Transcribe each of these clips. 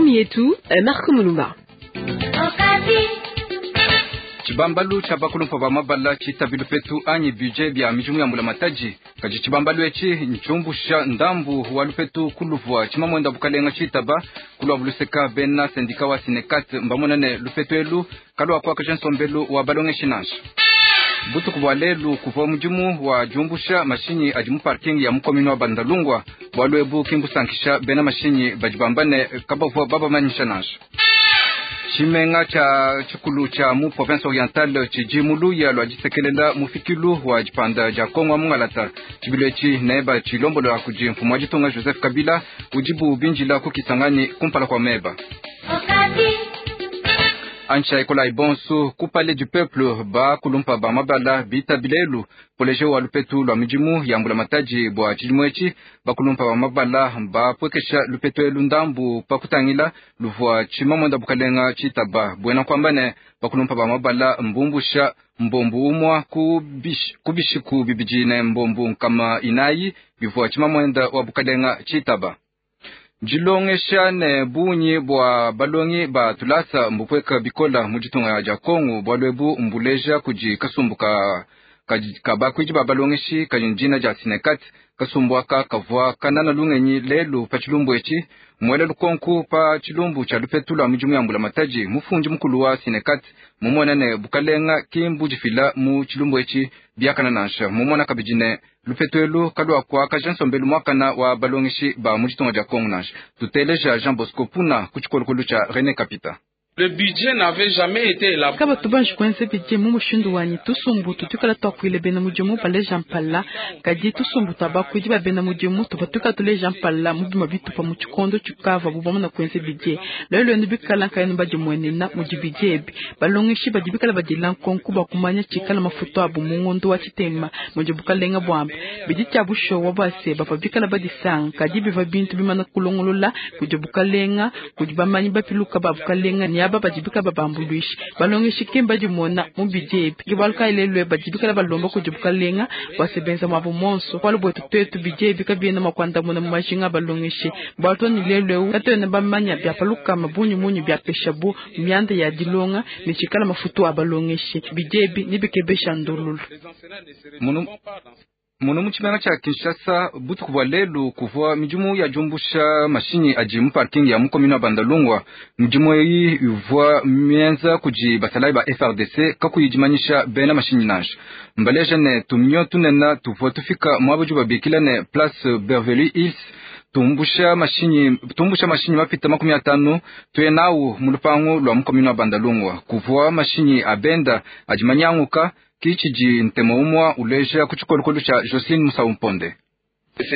Ngumu yetu Marco Mulumba. Tshibambalu tshia bakulumpa ba mabala tshitabi lupetu anyi budget bia midimu ya mbulamatadi. Kadi tshibambalu etshi ntshiumbusha ndambu wa lupetu ku luvua tshimamwenda bukalenga tshitaba ku luabu luseka. Bena syndicat wa Synecat mbamona ne lupetu elu kaluakuakaja nsombelu wa balongeshi nansha. Butuku bua lelu kuvua mudimu wa diumbusha mashinyi adi mu parking ya mu commune wa Bandalungwa. Bualu ebu ki mbusankisha bena mashinyi badi bamba ne kabavua babamanyisha nansha. Tshimenga tshia tshikulu tshia mu province orientale tshidi mu luya lua disekelela mufikilu wa dipanda dia Kongo wa mungalata. Tshibilu etshi neba tshilombolola kudi mfumu wa ditunga Joseph Kabila udibu bindila ku Kisangani kumpala kua meba. Ancha ekolayi bonso ku Palais du Peuple, bakulumpa ba mabala bitabi lelu projet wa lupetu lua midimu ya mbulamatadi bua tshidimu etshi. Bakulumpa ba mabala bapwekesha lupetu elu ndambu pa kutangila luvua tshimamwenda bukalenga tshitaba. Buena kuamba ne bakulumpa ba mabala mbumbusha mbombu umua ku bishiku bibidi ne mbombu nkama inayi bivua tshimamwenda wa bukalenga tshitaba. Dilongesha ne bungi bua balongi ba tulasa mbupweka bikola mu ditunga dia Kongo. Bualu ebu mbuleja kudi kasumbu ka ka bakuidi ba balongeshi kadi dina dia Synecat. Kasumbu aka kavua kanana lungenyi lelu pa tshilumbu etshi. Muela lukonku pa tshilumbu tshia lupetu lua midimu ya mbulamatadi, mufundi mukulu wa Synecat mumona ne bukalenga ki mbudifila mu tshilumbu etshi biakana nansha. Mumona kabidi ne lupetu elu kaluakuakaja nsombelu muakana wa balongeshi ba mu ditunga dia Kongo nansha. Tuteleja Jean Bosco Puna ku tshikolokolo tshia René Kapita. Le budget n'avait jamais été élaboré. Kabatu banji kuenza budget mu mushindu wanyi tusumbu tutukala twakuile bena mudimu baleja mpala, kadi tusumbu twa bakuidi ba bena mudimu tuva tukala tuleja mpala mu bima bitupa mu tshikondo tshikava bubamona kuenza budget. Lelo enu bikala nkayenu badimuenena mudi budget ebi. Balongeshi badi bikala badila nkonko bua kumanya tshikala mafutu abu mu ngondo wa tshitema mudi bukalenga buamba. Bidi tshia bushowa bua se bavua bikala badisanga, kadi bivua bintu bimana kulongolola kudi bukalenga, kudi bamanyi bapiluka ba bukalenga ne aba badi bikala babambuluisha. Balongeshi ke mbadimona mu budget ebi. Ke bualu kayi lelu badi bikala balomba kudi bukalenga bua se benza muabu monso. Bualu buetu tuetu budget ebi kabiena mua kuandamuna mu majinga a balongeshi. Bualu too ne lelu eu katuena bamanya bia pa lukama bungi munyi biapeshabu mianda ya dilonga ne tshikala mafutu a balongeshi. Budget ebi nebikebesha ndululu. Munu mu tshimenga tshia Kinshasa butuku bua lelu kuvua midimu ya diumbusha mashinyi adi mu parking ya mu commune wa Bandalungwa. Midimu eyi ivua mienza kudi basalayi ba FARDC kakuyi dimanyisha bena mashinyi nansha. Mbaleja ne tuminyo tunene tuvua tufika muaba udi babikila ne Place Beverly Hills tumbusha mashinyi mapita 50 tuye nawu mu lupangu lua mu commune wa Bandalungwa. Kuvua mashinyi a benda adi manyanguka kichidi ntemo umwa uleja ku tshikolokolo tshia Jocelyn Musau Mponde.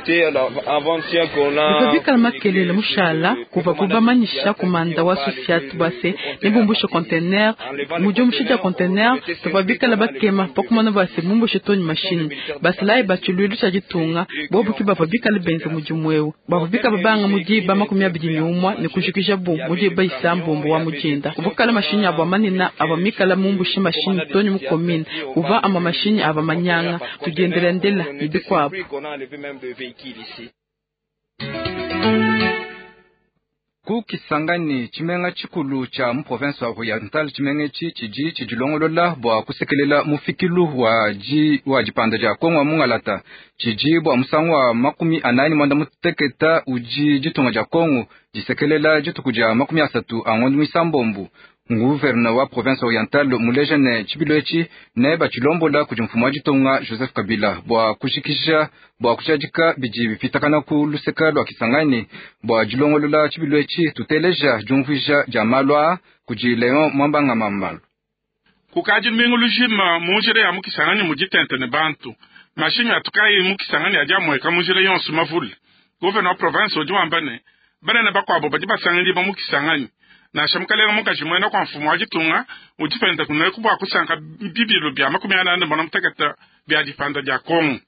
Bivua bikala makelele mushala kuva kubamanyisha kumanda wa sosiate bua se nebumbushe container. Mu diumbusha dia container tuvua bikala bakema pa kumona bua se bumbushe too ne mashinyi. Basalayi ba tshiluilu tshia ditunga bobu ke bavua bikala benza mudimu eu. Bavua bikala babanga mu diba 21 ne kujikija bu mu diba 9 wa mudinda. Kuvua kala mashinyi avua manene avua mikala mumbushe mashinyi too ne mu commune. Kuvua amue mashinyi avua manyanga tudiendelandela ne bikuabu. Ku Kisangani tshimenga tshikulu tshia mu province wa Oriental, tshimenga etshi tshidi tshidilongolola bua kusekelela mufikilu wa dipanda dia Kongo wa mungalata. Tshidi bua musangu wa 48 udi ditunga dia Kongo disekelela dituku dia 30 a ngondo mwisambombo. Gouverneur wa province orientale muleja ne tshibilu etshi ne batshilombola kudi mfumu wa ditunga Joseph Kabila bua kujikija bua kujadika bidi bipitakana ku luseka lua Kisangani bua dilongolola tshibilu etshi. Tuteleja diumvuija dia malu aa kudi Leon Mwambanga Mambalu. Kukadi lumingu lujima mu njila ya mu Kisangani muditente ne bantu. Mashinyi atukayi mu Kisangani adi amueka mu njila yonso mavule. Gouverneur wa province udi wamba ne banene bakuabo badi basangidibwa mu Kisangani. Nansha mukalenga mukaji muena kwa mfumu wa ditunga udi penda kuneku bua kusanka bibilu bia 48 bia dipanda dia Kongo.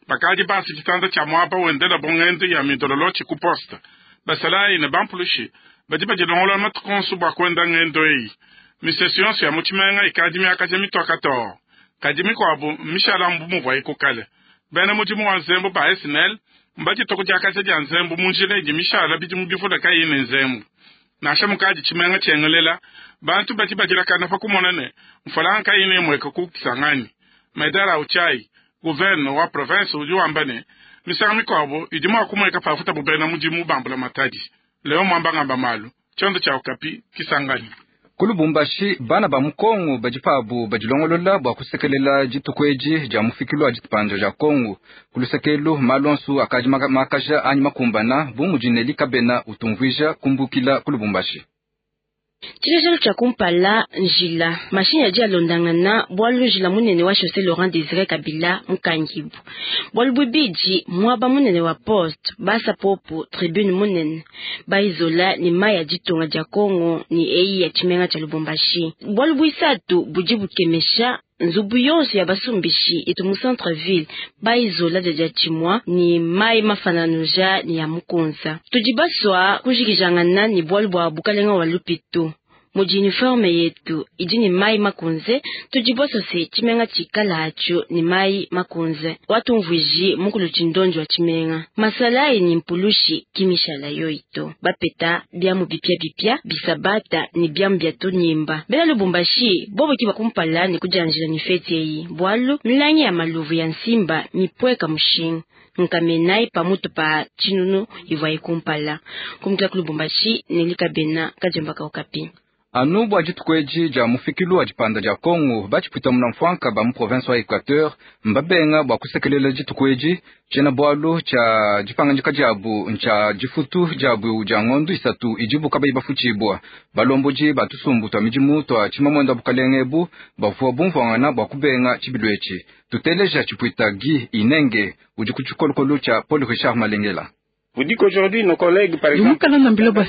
Bakadi basi tshitanda tshia muaba wendela bongendo ya midololo ku poste. Basalayi ne bampulushi badi badilongolola matuku onso bua kuenda ngendo eyi. Misesu yonso ya mu tshimenga ikadi miakaja mitoka too. Kadi mikuabu mishala mbu muvuayi ku kale. Bena mudimu wa nzembu ba SNL mbadituku diakaja dia nzembu mu njila idi mishala bidimu bivule kayi ne nzembu. Nansha mukadi tshimenga tshiengelela, bantu badi badilakana pa kumona ne mfranga kayina imueka ku Kisangani. Medard Autshai, gouverneur wa province, udi wamba ne misangu mikuabo idi mua kumueka pafuta bena mudimu ba mbulamatadi. Leo Mwamba ngamba malu tshiondo tshia Okapi, Kisangani. Ku Lubumbashi, bana ba mu Kongo badi pabu badilongolola bua kusekelela dituku edi dia mufikilu wa dipanda dia Kongo. Ku lusekelu, malu onso akadi makaja anyi makumbana bu mudi Nelly Kabena utumvuija kumbukila ku Lubumbashi. Tshilejelu tshia kumpala njila mashinyi adi alondangana bualu njila munene wa chaussée Laurent Désiré Kabila mukangibu. Bualu bubidi muaba munene wa poste basa popo tribune munene baizola ni mayi ya ditunga dia Kongo ni eyi ya tshimenga tshia Lubumbashi. Bualu buisatu budi bukemesha nzubu yonso ya basumbishi itu mu centre ville baizola dia tshimua ni mayi mafananuja ni ya mukunza. Tudi baswa kujikijangana ni bualu bua bukalenga wa lupitu. Mudi uniforme yetu idi ni mayi makunze, tudi basose tshimenga tshikala atsho ni mayi makunze. Watumvuiji mukulu tshindonjo wa tshimenga. Masalayi ni mpulushi kimishala yoito. Bapeta biamu bipia bipia bisabata ni biamu bia tunyimba. Bena Lubumbashi bobo kiba kumpala ni kujanjila ni feti eyi. Bualu milangi ya maluvu ya nsimba mipweka mushinga. Nkamenai pamutu pa tshinunu ivua ikumpala. Kumukila ku Lubumbashi Nelly Kabena kadiomba Okapi. Anu bua dituku edi dia mufikilu wa dipanda dia Kongo, batshipwita munamfuanka ba mu province wa Equateur mbabenga bua kusekelela dituku edi. Tshiena bualu tshia dipangandika diabu ntshia difutu diabu dia ngondu isatu idibu kabayi bafutshibua. Balombodi ba tusumbu tua midimu tua tshimamuenda wa bukalenge ebu bavua bumvuangana bua kubenga tshibilu etshi. Tuteleja tshipwita Guy Inenge udi ku tshikolokolo tshia Paul Richard Malengela. Yumukala nambila bua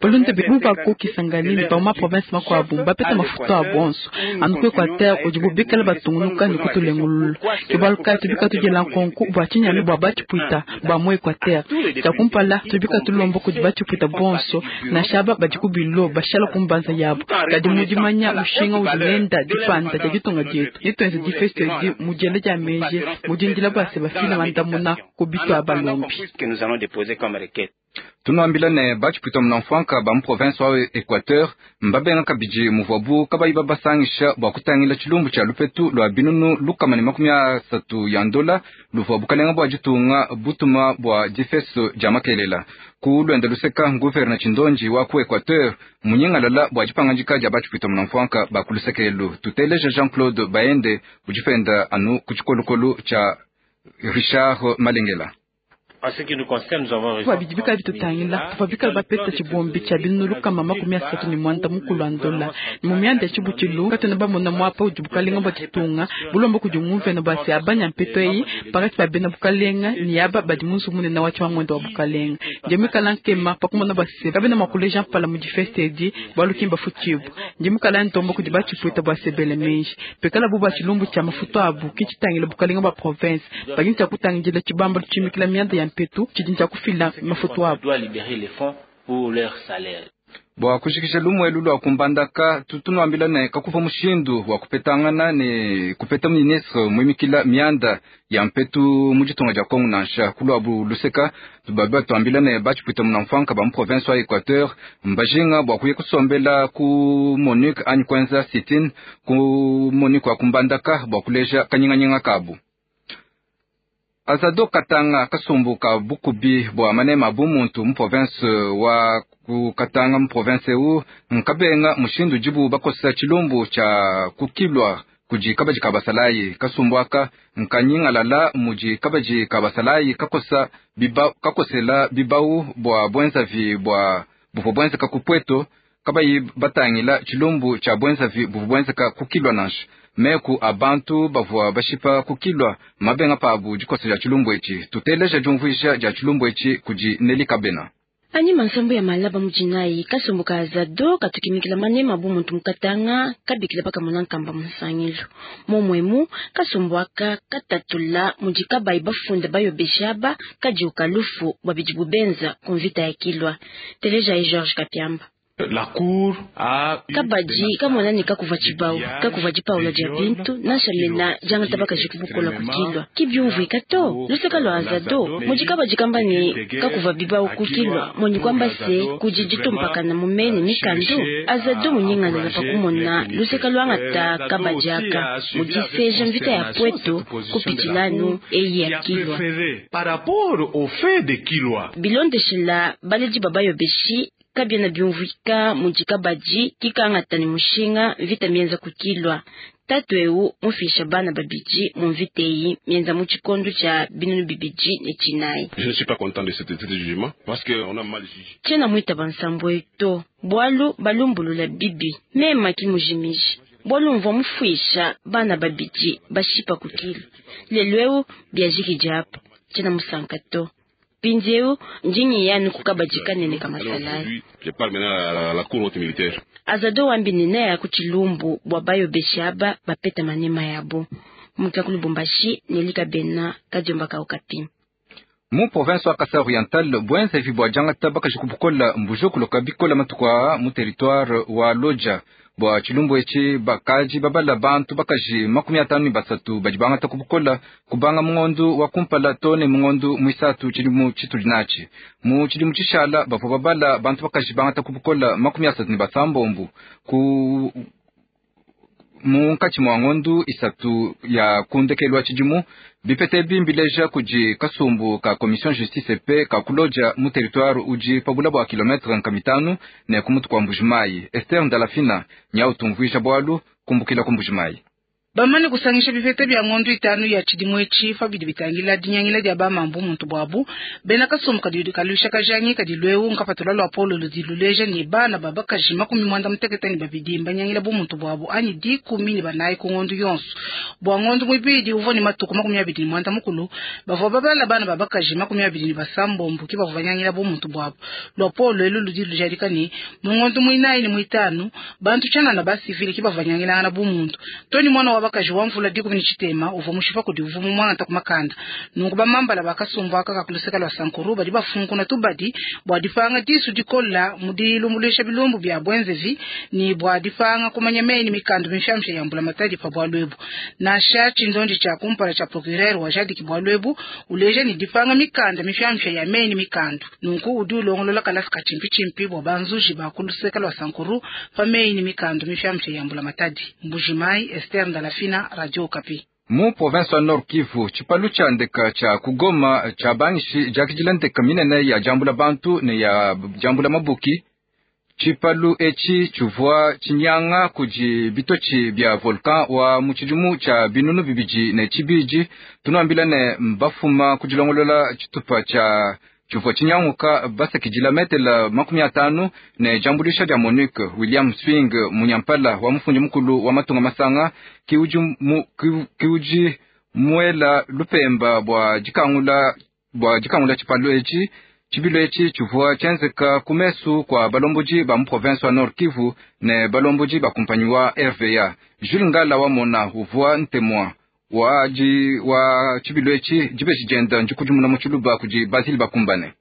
balonde buba ku Kisangani ne ba mu province makuabu bapeta mafuta a bonso anu ku Equateur udibu bikala batungunuka ne kutulengulula. Ke bualu kayi tubika tudiela nkonko bua tshinyanu bua batshipwita ba mu Equateur. Tshia kumpala tubika tulomba kudi batshipwita bonso nansha aba badi ku bilo bashala ku mbanza yabu. Kadi mu dimanya mushinga udi nenda dipanda dia ditunga dietu netuenze difesto edi mu diela dia meji mu dindila bua se bafile mandamuna ku bitu a balombi. Tunuambila ne batshipwita munamfuanka ba mu province wa Equateur mbabenga kabidi muvuabu kabayi babasangisha bua kutangila tshilumbu tshia lupetu lua binunu 130 ya ndola luvua bukalenga bua ditunga butuma bua difesto dia makelela. Ku luenda luseka gouverneur Tshindonji wa ku Equateur munyingalala bua dipangandika dia batshipwita munamfuanka ba ku lusekelu. Tuteleja Jean-Claude Baende udi penda anu ku tshikolokolo tshia Richard Malengela. Bua bidi bikala bitutangila tuvua bikala bapeta tshibombi tshia binunu 330 mukulu wa ndola. Ni mu mianda ya tshibutshilu katuena bamona muapa udi bukalenga bua ditunga bulomba kudi nguvena bua se abanya mpeto eyi pakati pa bena bukalenga ni aba badi mu nzubu munene wa tshimamuende wa bukalenga. Ndi muikala nkema pakumona bua se kabena mua kuleja mpala mu difesta edi bualu ki mbafutshibua. Ndi muikala ntomba kudi batshipwita bua se bele meji. Pekala bu bua tshilumbu tshia mafutu abu ki tshitangila bukalenga bua province. Badi ntshia kutangidila tshibamba tshimikila mianda ya mpetu tshidi ntshia kufila mafutu abu. Bua kushikisha lumuelu lua kumbandaka tutunuambila ne kakuva mushindu wa kupetangana ne kupeta ministre muimikila mianda ya mpetu mu ditunga dia Kongo nansha kuluabu luseka. Tubabi batuambila ne batshipwita munamfuanka ba mu province wa Equateur mbajinga bua kuya kusombela ku MONUC anyi kuenza sit-in ku MONUC wa kumbandaka bua kuleja kanyinganyinga kabu. Azado Katanga kasumbu ka bukubi bua manema bu muntu mu province wa ku Katanga mu province eu nkabenga mushindu dibu bakosa tshilumbu tshia kukilwa kudi kabadi ka basalayi. Kasumbu aka nkanyingalala mudi kabadi ka basalayi kakosa biba, kakosela bibau bua bwenzavi bua buvua bwenzeka ku Pweto kabayi batangila tshilumbu tshia bwenzavi buvua bwenzeka kukilwa nansha. Meku a bantu bavua bashipa kukilwa mabenga pabu dikosa dia tshilumbu etshi. Tuteleja diumvuija dia tshilumbu etshi kudi Nelly Kabena. Anyima nsambu ya malaba mujinayi kasumbu ka Azado katukimikila manema bu muntu mukatanga kabikila pakamona nkamba musangilu. Momwemu kasumbu aka katatula mudi kabayi bafunda bayobeshaba kadi ukalufu bwa bidi bubenza ku mvita ya kilwa. Teleja ye George Kapiamba. Kabadi kamona ne kakuva tshibawu, kakuva dipawula dia bintu, nansha mena diangata bakaji ku bukola ku Kilwa. Ki biumvuika to. Luseka lua Azado, mudi kabadi kamba ne kakuva bibawu ku Kilwa, monyi kuamba se kudi ditumpakana mu meyi ne mikandu. Azado munyingalala pa kumona luseka luangata kabadi aka mu diseja mvita ya Pweto kupitshila anu eyi ya Kilwa. Bilondeshila baledi ba bayobeshi, kabiena biumvuika mudi kabadi kikangata ne mushinga mvita mienza ku Kilwa. Tatu eu mufisha bana babidi mu mvita eyi mienza mu tshikondo tshia 2004. Je ne suis pas content de cet jugement parce que on a mal jugé. Tshiena muitaba nsambu eyi to, bualu balumbulula bibi. Mema ki mujimiji, bualu mvua mufuisha bana babidi bashipa ku Kilwa. Lelu eu biajikidi apa, tshiena musanka to. Mpindieu ndi ngiya anu ku kabadi kanene ka masalayi. Je parle maintenant à la cour haute militaire. Azado wambi ne neaya ku tshilumbu bua bayobeshi aba bapeta manema yabo. Mukia ku Lubumbashi, Nelly Kabena, Kadiomba ka Okapi. Mu province wa Kasai Oriental, buenzeji bua diangata bakaji ku bukola mbujokoloka bikola matuku aa mu territoire wa Lodja. Bua tshilumbu etshi bakaji babala bantu bakaji 53 badi bangata ku bukola kubanga mu ngondu wa kumpala to ne mu ngondu muisatu tshidimu tshitudi natshi. Mu tshidimu tshishala bavua babala bantu bakaji bangata ku bukola 36 ku munkatshi mua ngondu 3 ya kundekelu wa tshidimu. Bipete ebi mbileja kudi kasumbu ka commission justice pe ka kuloja mu territoire udi pa bula bua kilometre 500 ne ku mutu kua Mbujimayi. Esther Ndalafina nyau tumvuija bualu kumbukila ku Mbujimayi. Bamane kusangisha bipete bia ngondu 5 ya tshidimu etshi pa bidi bitangila dinyangila dia bamambu muntu buabu. Bena kasumbu kadi kalusha kajangi kadi lweu nkapatula lua polo ludi luleja ne bana babakaji 92 mbanyangila bu muntu buabu anyi 14 ku ngondu yonso. Bua ngondu mwibidi uvua ne matuku 29 bavua babala bana babakaji 26 ki bavua banyangila bu muntu buabu. Lua polo elu ludi lujadika ne mu ngondu mwinayi ne mwitanu bantu tshianana ba civil ki bavua banyangilangana bu muntu. Toni mwana wa bakaji wa mvula 17 uvua mushipa kudi uvua mu mwana takumakanda. Nunku bamambala bakasumbu aka kakuluseka lwa Sankuru badi bafunkuna tubadi bua dipanga disu dikola mu dilumbuluisha bilumbu bia bwenzevi ni bua dipanga kumanya meyi ni mikandu mifyamsha ya mbula matadi pa bua lwebu. Nansha tshindondi tsha kumpala tsha procureur wa jadiki bua lwebu uleja ni dipanga mikanda mifyamsha ya meyi ni mikandu. Nunku udi ulongolola kalasi kachimpi chimpi bua banzuji bakuluseka lwa Sankuru pa meyi ni mikandu mifyamsha ya mbula matadi. Mbujimai, Esther Ndalafina, Radio Okapi. Mu province wa Nord Kivu, tshipalu tsha ndeka tsha kugoma tsha bangishi diakidila ndeka minene ya jambula bantu ne ya jambula mabuki. Tshipalu etshi tshivua tshinyanga kudi bitotshi bia volcan wa mu tshidimu tsha 2002. Tunuambila ne mbafuma kudilongolola tshitupa tsha tshivua tshinyanguka basakidila metela 50 ne jambulisha dia MONUC. William Swing munyampala wa mufundi mukulu wa matunga masanga kiuji muela lupemba bua dikangula tshipalu etshi. Tshibilu etshi tshivua tshienzeka ku mesu kua balombodi ba mu province wa Nord Kivu ne balombodi ba kumpanyi wa RVA. Jules Ngala wa mona uvua ntemwa wa tshibilu etshi dibeji dienda ndikudimuna mu tshiluba kudi Basile Bakumbane.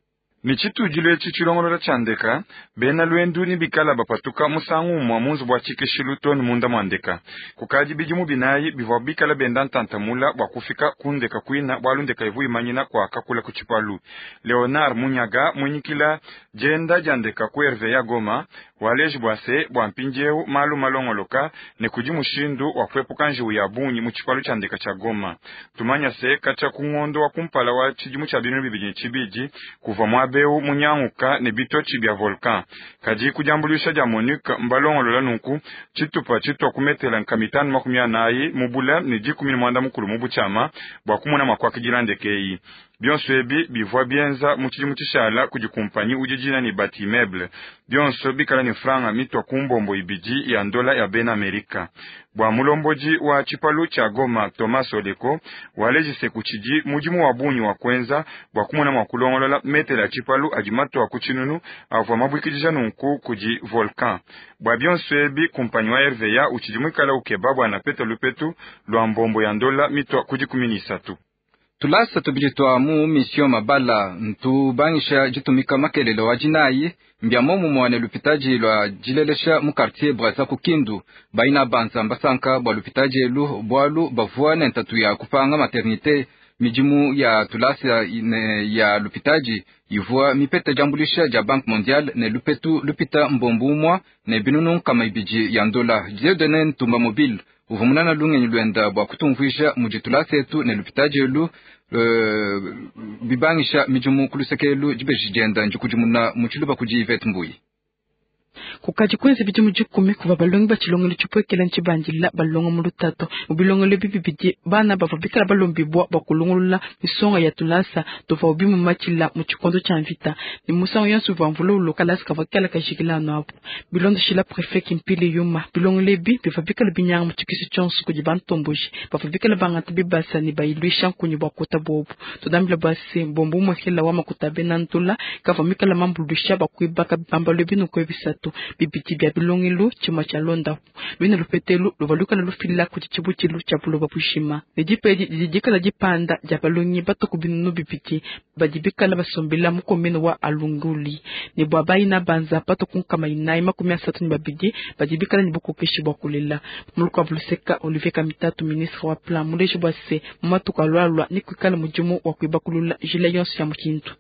Ni tshitudilo etshi tshilongolola tsha ndeka bena lwendu ni bikala bapatuka musangu umwa munzu bua tshikeshilu to ni munda mua ndeka. Kukadi bidimu binayi bivua bikala benda ntantamula bua kufika ku ndeka kuina bualu ndeka ivu imanyina kua kakula ku tshipalu. Leonard Munyaga mwinyikila dienda dia ndeka ku RVA Goma waleji bua se bua mpindieu malu malongoloka ne kudi mushindu wa kuepuka njiwu ya bungi mu tshipalu tsha ndeka tsha Goma. Tumanya se katshia ku ngondo wa kumpala wa tshidimu tsha 2002 kuvua muabeu munyanguka ne bitotshi bia volcan. Kadi kudiambuluisha dia MONUC mbalongolola nunku tshitupa tshitwa kumetela 540 mubula ne 19 mu butshiama bua kumona mua kuakidila ndeke eyi. Bionso ebi bivua bienza mu tshidimu tshishala kudi kumpanyi udi dina ne Batimeble. Bionso bikala ne franga mitwa ku mbombo ibidi ya ndola ya bena Amerika. Bua mulombodi wa tshipalu tsha Goma Thomas Oleko walejise kutshidi mudimu wa bungi wa kuenza bua kumona mua kulongolola metela ya tshipalu adi matwa ku tshinunu avua mabuikidija nunku kudi volcan. Bua bionso ebi kumpanyi wa RVA utshidi muikala ukeba bua napeta lupetu lua mbombo ya ndola mitwa ku 13. Tulasa tubidi tua mu mission Mabala ntubangisha ditumika makelele wa dinayi mbia momumue ne lupitadi lua dilelesha mu quartier Brazza ku Kindu. Baina banza mbasanka bua lupitadi elu bualu bavua ne ntatu ya kupanga maternité. Midimu ya tulasa ne ya lupitadi ivua mipeta diambuluisha dia Banque mondiale ne lupetu lupita mbombu umua ne binunu 200 ya ndola. Dieudonne Ntumba Mobile uvua munana lungenyi luenda bua kutumvuija mudi tulasa etu ne lupitadi elu bibangisha midimu ku luseke elu dibeji dienda ndikudimuna mu tshiluba kudi Yvette Mbuyi. Kukadi kwenza bidimu 10 kuva balongi ba tshilongelo tshipuekela ntshibandila balonga mu lutato mu bilongelo bibidi bana bavua bikala balombibwa bua kulongolola misonga ya tulasa tuvua bimumatshila mu tshikondo tshia mvita ne musangu yonso uvua mvula uloka lasa kavua kikala kajikila anu abu. Bilondeshila prefet Kimpili Yuma, bilongelo ebi bivua bikala binyanga mu tshikisu tshionso kudi bantomboji bavua bikala bangata bibasa ne bayiluisha nkunyi bua kuta bobu. Tudambila bua se mbombu mwekela wa makuta bena ntula kavua mikala mambuluisha bua kuibaka bibambalu binuku bisatu bibidi bia bilongelo tshimue tshia londapu luine lupetelu luvua lukala lufila kudi tshibutshilu tshia buloba bujima ne dipedi didi dikala dipanda dia balongi batuku 200 badi bikala basombela mu komine wa Alunguli ne bua bayina banza batuku 432 badi bikala ne bukokeshi bua kulela. Muluka luseka Olivier Kamitatu ministre wa plan muleji bua se mu matuku alualua ne kuikala mudimu wa kuibakulula njila yonso ya mu Kindu.